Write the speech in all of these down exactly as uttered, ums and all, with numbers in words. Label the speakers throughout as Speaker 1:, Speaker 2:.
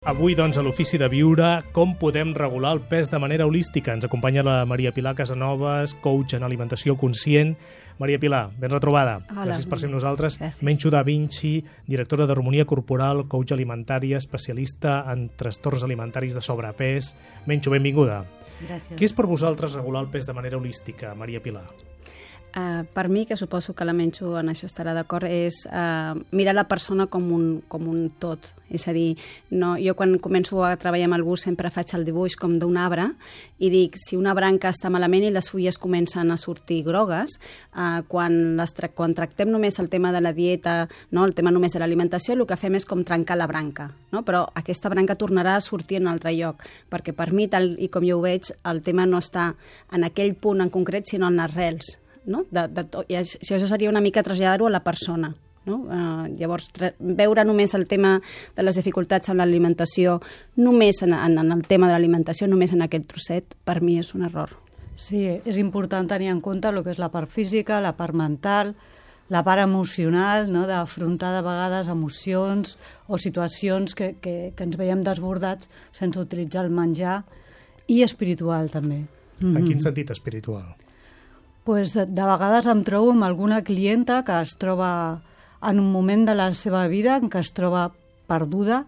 Speaker 1: Avui, doncs, a l'Ofici de Viure, com podem regular el pes de manera holística. Ens acompanya la Maria Pilar Casanovas, coach en alimentació conscient. Maria Pilar, ben retrobada.
Speaker 2: Hola.
Speaker 1: Gràcies per ser amb nosaltres.
Speaker 2: Gràcies.
Speaker 1: Menxo Da Vinci, directora d'harmonia corporal, coach alimentària, especialista en trastorns alimentaris de sobrepès. Menxo, benvinguda.
Speaker 2: Gràcies.
Speaker 1: Què és per vosaltres regular el pes de manera holística, Maria Pilar?
Speaker 2: Uh, per mi, que suposo que la Menxo en això estarà d'acord, és uh, mirar la persona com un, com un tot. És a dir, no, jo quan començo a treballar amb algú sempre faig el dibuix com d'un arbre i dic, si una branca està malament i les fulles comencen a sortir grogues, uh, quan, les tra quan tractem només el tema de la dieta, no, el tema només de l'alimentació, el que fem és com trencar la branca, no? Però aquesta branca tornarà a sortir en un altre lloc, perquè per mi, tal i com jo ho veig, el tema no està en aquell punt en concret, sinó en les rels. No? De, de to... I això, això seria una mica traslladar-ho a la persona. No? Uh, llavors, veure només el tema de les dificultats amb l'alimentació, només en, en, en el tema de l'alimentació, només en aquell trosset, per mi és un error.
Speaker 3: Sí, és important tenir en compte el que és la part física, la part mental, la part emocional, no? D'afrontar de vegades emocions o situacions que, que, que ens veiem desbordats sense utilitzar el menjar, i espiritual també.
Speaker 1: En mm-hmm. quin sentit espiritual?
Speaker 3: Pues de, de vegades em trobo amb alguna clienta que es troba en un moment de la seva vida en què es troba perduda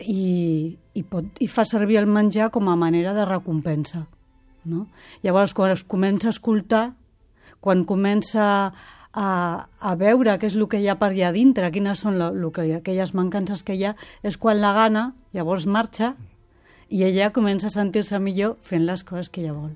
Speaker 3: i, i, pot, i fa servir el menjar com a manera de recompensa. No? Llavors, quan es comença a escoltar, quan comença a, a veure què és el que hi ha per allà dintre, quines són lo, lo que hi ha, aquelles mancances que hi ha, és quan la gana, llavors marxa, i ella comença a sentir-se millor fent les coses que ella vol.